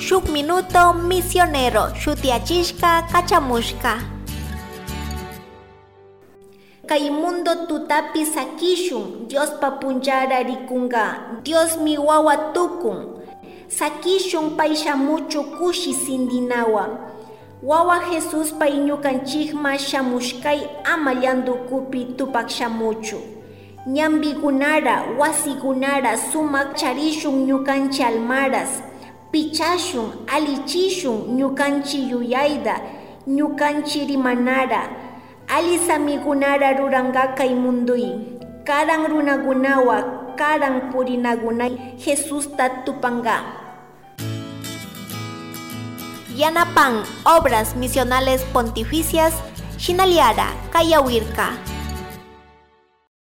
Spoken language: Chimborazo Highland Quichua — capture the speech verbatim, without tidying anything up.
Shuk Minuto Misionero shutiyachishka kachamushka. Kay mundo tutapi sakishun, Diospa punchara rikunga, Diosmi wawa tukun. Sakishun pay shamuchu kushi sindinawa. Wawa Jesus pay ñukanchikma shamushkay ama llandukupi tupak shamuchu. Ñambikunara, wasikunara sumak charishun ñukanchik almaras. Pichashun, alichishun ñukanchik yuyayta, ñukanchik rimanara. Ali samikunara ruranka kay munduy. Karan runakunawa, karan purinakunay Jesusta tupanka. Yanapan Obras Misionales Pontificias, Shinaliara, Kayawirka.